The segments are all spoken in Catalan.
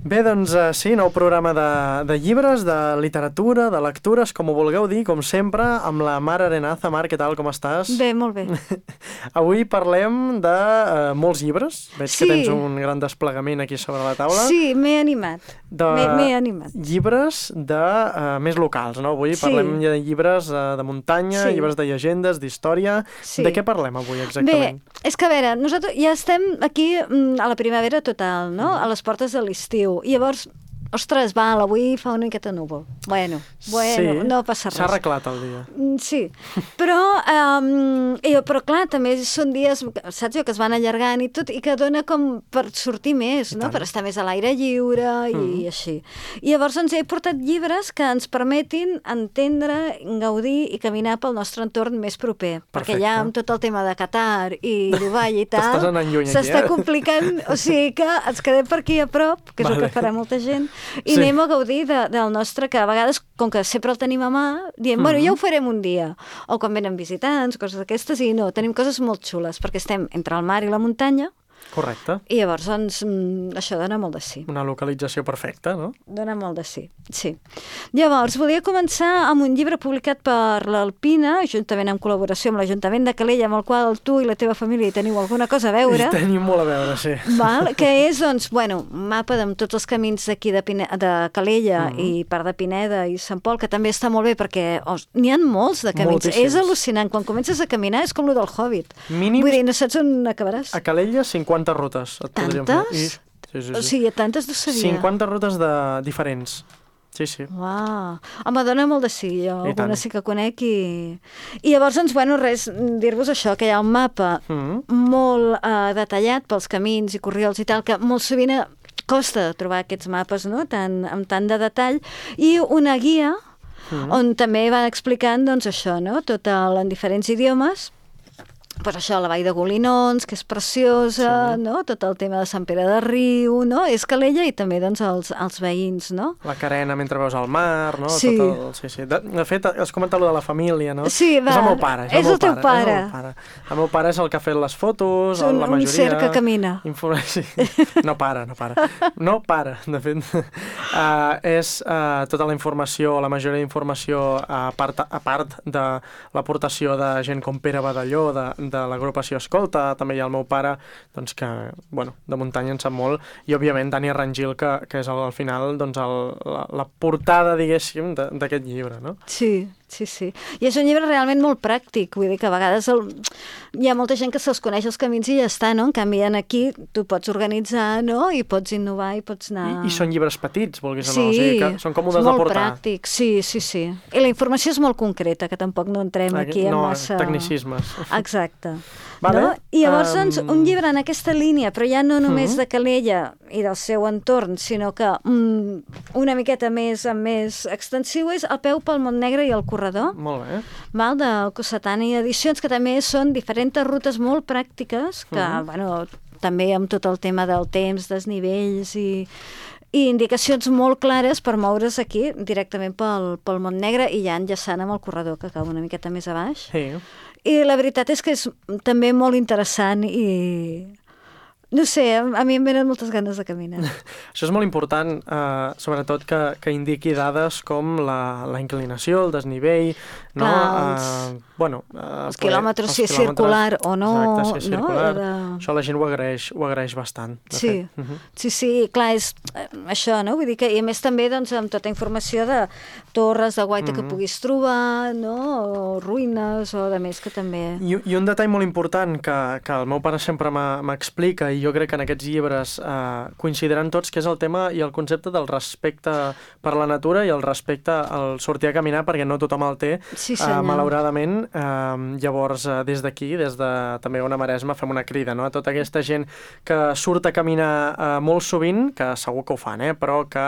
Bé, doncs sí, nou programa de llibres, de literatura, de lectures, com ho vulgueu dir, com sempre, amb la Mar Arenaza. Mar, què tal, com estàs? Bé, molt bé. Avui parlem de molts llibres. Veig que tens un gran desplegament aquí sobre la taula. Sí, m'he animat. M'he animat. Llibres més locals, no? Avui parlem de llibres de muntanya, llibres de llegendes, d'història. De què parlem avui exactament? Bé, és que a veure, nosaltres ja estem aquí a la primavera total, no? A les portes de l'estiu. I llavors, ostres, val, avui fa una miqueta núvol. Bueno, no passa res. S'ha arreglat el dia. Sí, però clar, també són dies, saps, que es van allargant i tot, i que dona com per sortir més, no? Per estar més a l'aire lliure i així. I llavors he portat llibres que ens permetin entendre, gaudir i caminar pel nostre entorn més proper. Perquè ja amb tot el tema de Qatar i Dubai i tal, s'està complicant, o sigui que ens quedem per aquí a prop, que és el que farà molta gent, i anem a gaudir del nostre, que a vegades, com que sempre el tenim a mà, diem, bueno, ja ho farem un dia. O quan venen visitants, coses d'aquestes, i no, tenim coses molt xules, perquè estem entre el mar i la muntanya. Correcte. I llavors, doncs, això dona molt de sí. Una localització perfecta, no? Dona molt de sí, sí. Llavors, volia començar amb un llibre publicat per l'Alpina, juntament en col·laboració amb l'Ajuntament de Calella, amb el qual tu i la teva família hi teniu alguna cosa a veure. Hi tenim molt a veure, sí. Val? Que és, doncs, bueno, un mapa de tots els camins d'aquí de Calella i part de Pineda i Sant Pol, que també està molt bé perquè n'hi ha molts de camins. Moltíssims. És al·lucinant. Quan comences a caminar és com lo del Hobbit. Mínims... Vull dir, no saps on acabaràs. A Calella, 50 rutes. Tantes? Sí. O sigui, tantes no sabia. 50 rutes diferents. Sí. Uau. Home, dona molt de sí. Jo alguna sí que conec i llavors, doncs, bueno, res, dir-vos això, que hi ha un mapa molt detallat pels camins i corriols i tal, que molt sovint costa trobar aquests mapes, no?, amb tant de detall, i una guia on també va explicant, doncs, això, no?, tot en diferents idiomes. Pues això, la vall de Golinons, que és preciosa, no? Tot el tema de Sant Pere de Riu, no? És Calella i també, doncs, els veïns, no? La carena mentre veus el mar, no? Sí. De fet, has comentat allò de la família, no? Sí, va. És el meu pare. És el teu pare. El meu pare és el que ha fet les fotos, la majoria... Un ser que camina. Sí. No para. No para, de fet. És tota la informació, la majoria d'informació, a part de l'aportació de gent com Pere Badalló, de l'agrupació Escolta, també hi ha el meu pare, doncs que, bueno, de muntanya en sap molt, i òbviament Dani Arrangil, que és al final, doncs, la portada, diguéssim, d'aquest llibre, no? Sí. I és un llibre realment molt pràctic, vull dir que a vegades hi ha molta gent que se'ls coneix els camins i ja està, no? En canvi, aquí tu pots organitzar, no? I pots innovar i pots anar... I són llibres petits, vulguis o no? O sigui que són còmodes de portar. Molt pràctics, sí. I la informació és molt concreta, que tampoc no entrem aquí en massa... No, tecnicismes. Exacte. Vale. No? I llavors, doncs, un llibre en aquesta línia, però ja no només de Calella i del seu entorn, sinó que una miqueta més extensiu és A peu pel Montnegre i el Corredor. Molt bé. Val, de Cossetani Edicions, que també són diferents rutes molt pràctiques, que, bueno, també amb tot el tema del temps, desnivells i indicacions molt clares per moure's aquí directament pel Montnegre i ja enllaçant amb el corredor, que acaba una miqueta més a baix. Sí. I la veritat és que és també molt interessant i... No sé, a mi em venen moltes ganes de caminar. Això és molt important, sobretot que indiqui dades com la inclinació, el desnivell, no? Els quilòmetres, si és circular o no. Exacte, si és circular. Això la gent ho agraeix bastant. Sí, clar, és això, no? Vull dir que, i a més també, doncs, amb tota informació de torres de guaita que puguis trobar, no? O ruïnes, o de més que també... I un detall molt important que el meu pare sempre m'explica, i jo crec que en aquests llibres coincidiran tots, que és el tema i el concepte del respecte per la natura i el respecte al sortir a caminar, perquè no tothom el té, malauradament. Llavors, des d'aquí, des de també Ona Maresma, fem una crida, no?, a tota aquesta gent que surt a caminar molt sovint, que segur que ho fan, però que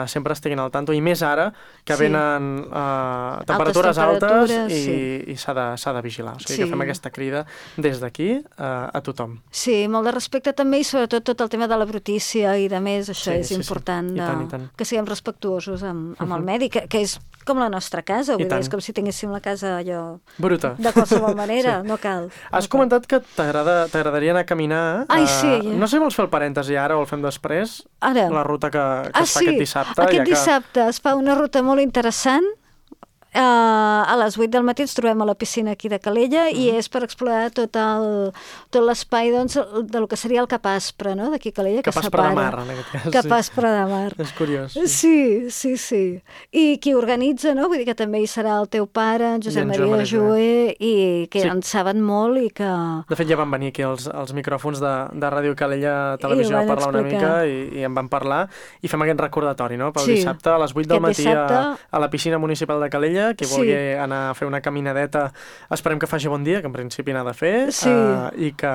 sempre estiguin al tanto, i més ara, que venen temperatures altes i s'ha de vigilar. O sigui que fem aquesta crida des d'aquí a tothom. Sí, molt de respecte respecte també i sobretot tot el tema de la brutícia i de més, això és important I tant. que siguem respectuosos amb el medi, que és com la nostra casa, vull dir, és com si tinguéssim la casa allò... Bruta. De qualsevol manera, no cal. Has comentat que t'agradaria anar a caminar. Ai, sí. No sé si vols fer el parèntesi ara o el fem després, ara. La ruta que es fa aquest dissabte. Aquest dissabte es fa una ruta molt interessant. A les 8 del matí ens trobem a la piscina aquí de Calella i és per explorar tot l'espai doncs, del que seria el Cap Aspre, no? D'aquí Calella, que separa. Cap Aspre de Mar, en aquest cas. Cap Aspre de Mar. És curiós. Sí. I qui organitza, no? Vull dir que també hi serà el teu pare, en Josep Maria Joé, i que en saben molt i que... De fet, ja van venir aquí els micròfons de Ràdio Calella Televisió a parlar una mica i en van parlar i fem aquest recordatori, no? Pel dissabte a les 8 del matí a la piscina municipal de Calella. Qui vulgui anar a fer una caminadeta, esperem que faci bon dia, que en principi n'ha de fer, i que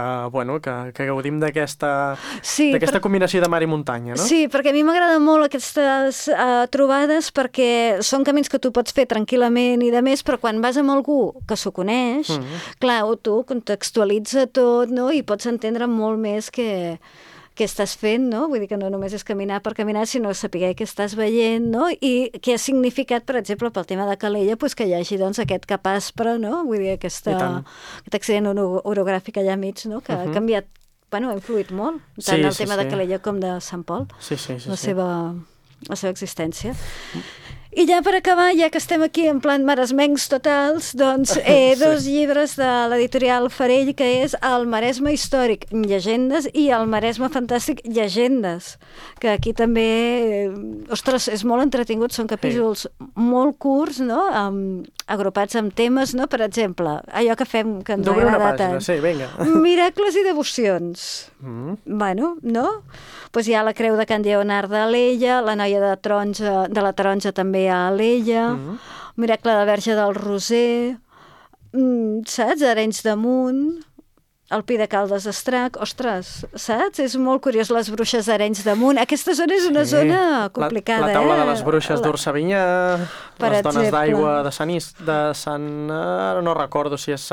gaudim d'aquesta combinació de mar i muntanya, no? Sí, perquè a mi m'agraden molt aquestes trobades perquè són camins que tu pots fer tranquil·lament i de més, però quan vas amb algú que s'ho coneix, clar, tu contextualitza tot, no? I pots entendre molt més què estàs fent, no? Vull dir que no només és caminar per caminar, sinó saber què estàs veient, no? I què ha significat, per exemple, pel tema de Calella, doncs que hi hagi aquest Cap Aspre, no? Vull dir, aquest accident orogràfic allà mig, no? Que ha canviat, ha influït molt, tant el tema de Calella com de Sant Pol, la seva existència. I ja per acabar, ja que estem aquí en plan maresmencs totals, doncs dos llibres de l'editorial Farell, que és El Maresme Històric, Llegendes, i El Maresme Fantàstic, Llegendes, que aquí també, ostres, és molt entretingut, són capítols molt curts, no?, agrupats amb temes, no?, per exemple, allò que fem, que ens agrada tant. Sí, vinga. Miracles i devocions. Bueno, no? Doncs hi ha la Creu de Can Lleonard d'Alella, la Noia de la Taronja també a Alella, Miracle de la Verge del Roser, saps? Arenys de Munt, el Pi de Caldes d'Estrac, ostres, saps? És molt curiós, les Bruixes d'Arenys de Munt. Aquesta zona és una zona complicada, La taula de les Bruixes d'Orsavinyà, les dones d'aigua de Sant... Ara no recordo si és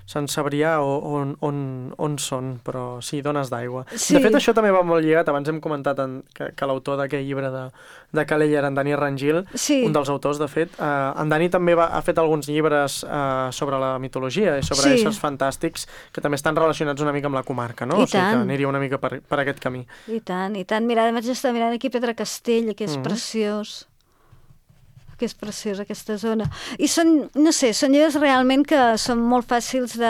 Sant Cebrià o on són, però sí, dones d'aigua. De fet, això també va molt lligat, abans hem comentat que l'autor d'aquest llibre de Calella era en Dani Rangil, un dels autors, de fet. En Dani també ha fet alguns llibres sobre la mitologia i sobre éssers fantàstics que també estan relacionats una mica amb la comarca, no? O sigui que aniria una mica per aquest camí. I tant. Mira, a més està mirant aquí Pedra Castell, que és preciós. Que és preciosa aquesta zona. I són, no sé, són llibres realment que són molt fàcils de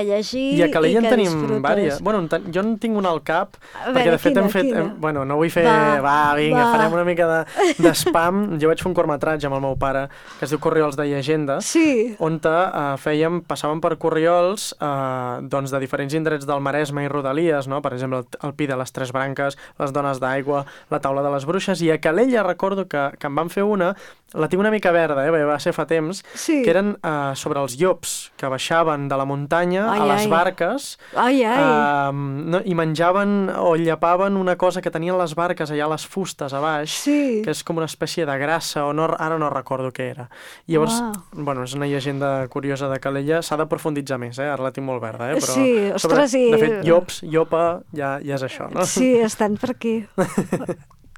llegir i que disfrutes. I a Calella en tenim diverses. Bueno, jo en tinc una al cap, perquè de fet hem fet... Bueno, no vull fer... Vinga, farem una mica de spam. Jo vaig fer un curtmetratge amb el meu pare que es diu Corriols de llegenda, on passàvem per corriols doncs de diferents indrets del Maresme i Rodalies, no? Per exemple, el Pi de les Tres Branques, les Dones d'Aigua, la Taula de les Bruixes, i a Calella recordo que en van fer una. La tinc una mica verda, perquè va ser fa temps, que eren sobre els llops que baixaven de la muntanya a les barques i menjaven o llapaven una cosa que tenien les barques allà a les fustes a baix, que és com una espècie de grassa, ara no recordo què era. I llavors, bueno, és una llegenda curiosa de Calella, s'ha de profunditzar més, ara la tinc molt verda, però de fet, llops, llopa, ja és això, no? Sí, estan per aquí.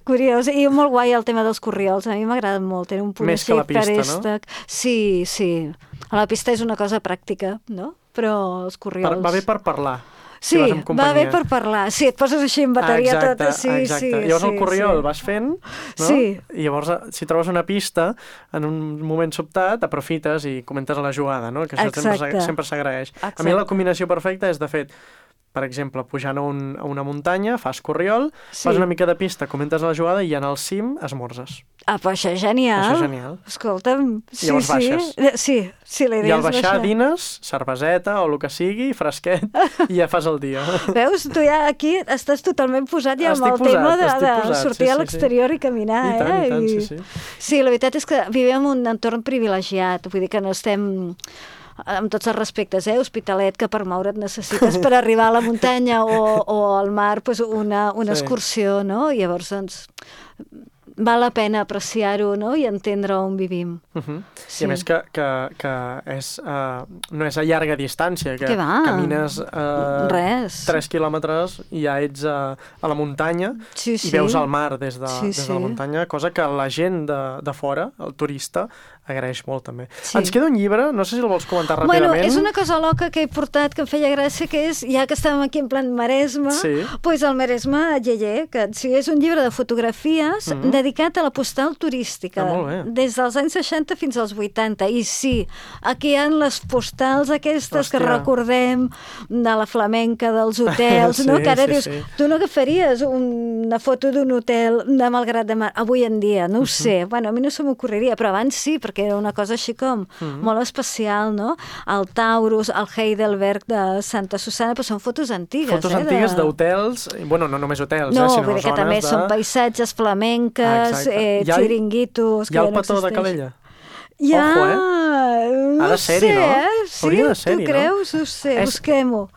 Curiós, i molt guai el tema dels corriols, a mi m'agrada molt, tenen un punt més que la pista, no? Sí. A la pista és una cosa pràctica, no? Però els corriols... Va bé per parlar. Sí, va bé per parlar. Sí, et poses així en bateria tota. Exacte. Llavors el corriol vas fent, no? I llavors, si trobes una pista, en un moment sobtat, aprofites i comentes la jugada, no? Que això sempre s'agraeix. A mi la combinació perfecta és, de fet, per exemple, pujant a una muntanya, fas corriol, fas una mica de pista, comentes la jugada i en el cim esmorzes. Però això és genial. Això és genial. Escolta'm, I llavors baixes. Sí, la idea és baixar. I al baixar dines, cerveseta o el que sigui, fresquet, i ja fas el dia. Veus? Tu ja aquí estàs totalment posat ja amb el tema de sortir a l'exterior i caminar. I tant, sí. Sí, la veritat és que vivim en un entorn privilegiat, vull dir que no estem... amb tots els respectes, Hospitalet, que per moure't necessites per arribar a la muntanya o al mar una excursió, no? I llavors, doncs, val la pena apreciar-ho, no?, i entendre on vivim. I a més que és, no és a llarga distància, que camines 3 quilòmetres i ja ets a la muntanya i veus el mar des de la muntanya, cosa que la gent de fora, el turista, agraeix molt també. Ens queda un llibre, no sé si el vols comentar ràpidament. Bueno, és una cosa loca que he portat, que em feia gràcia, que és, ja que estàvem aquí en plan Maresme, doncs el Maresme Lleier, que és un llibre de fotografies dedicat a la postal turística, des dels anys 60 fins als 80. I sí, aquí hi ha les postals aquestes que recordem de la flamenca, dels hotels, no? Que ara dius, tu no agafaries una foto d'un hotel de Malgrat de Mar avui en dia, no ho sé. Bueno, a mi no se m'ocorreria, però abans sí, perquè era una cosa així com molt especial, no? El Taurus, el Heidelberg de Santa Susana, però són fotos antigues. Fotos antigues d'hotels, bueno, no només hotels, sinó zones de... No, vull dir que també són paisatges flamenques, xiringuitos... Hi ha el petó de Calella? Ja, ha de ser-hi, no? Sí, tu creus? No sé, busquem-ho.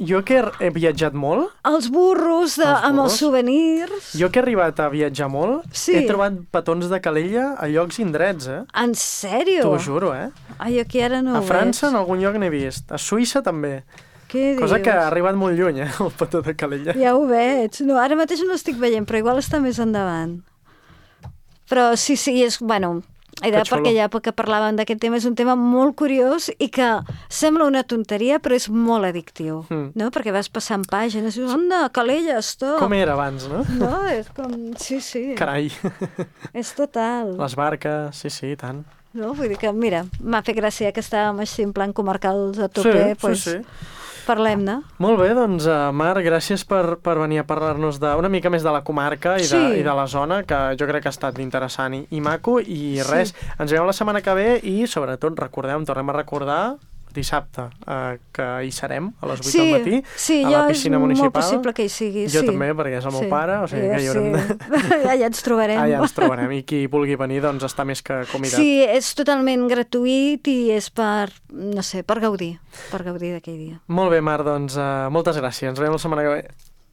Jo que he viatjat molt... Els burros amb els souvenirs... Jo que he arribat a viatjar molt, he trobat petons de Calella a llocs indrets, En sèrio? T'ho juro, Ai, aquí ara no ho veig. A França en algun lloc n'he vist, a Suïssa també. Què dius? Cosa que ha arribat molt lluny, el petó de Calella. Ja ho veig. No, ara mateix no l'estic veient, però igual està més endavant. Però sí, és... Bueno... perquè ja que parlàvem d'aquest tema, és un tema molt curiós i que sembla una tonteria, però és molt addictiu, no? Perquè vas passant pàgines i dius, onda, Calella, stop! Com era abans, no? No, és com... Sí. Carai! És total. Les barques, sí, tant. No, vull dir que, mira, m'ha fet gràcia que estàvem així en plan comarcals a tope, sí. Parlem-ne. Molt bé, doncs, Mar, gràcies per venir a parlar-nos una mica més de la comarca i de la zona, que jo crec que ha estat interessant i maco, i res, ens veiem la setmana que ve i, sobretot, tornem a recordar dissabte, que hi serem a les 8 del matí, a la piscina municipal. Sí, és molt possible que hi siguis. Jo també, perquè és el meu pare, o sigui que hi haurem de... Ja ens trobarem. Ja ens trobarem, i qui vulgui venir, doncs, està més que convidat. Sí, és totalment gratuït i és per, no sé, per gaudir d'aquell dia. Molt bé, Mar, doncs, moltes gràcies. Ens veiem la setmana que ve.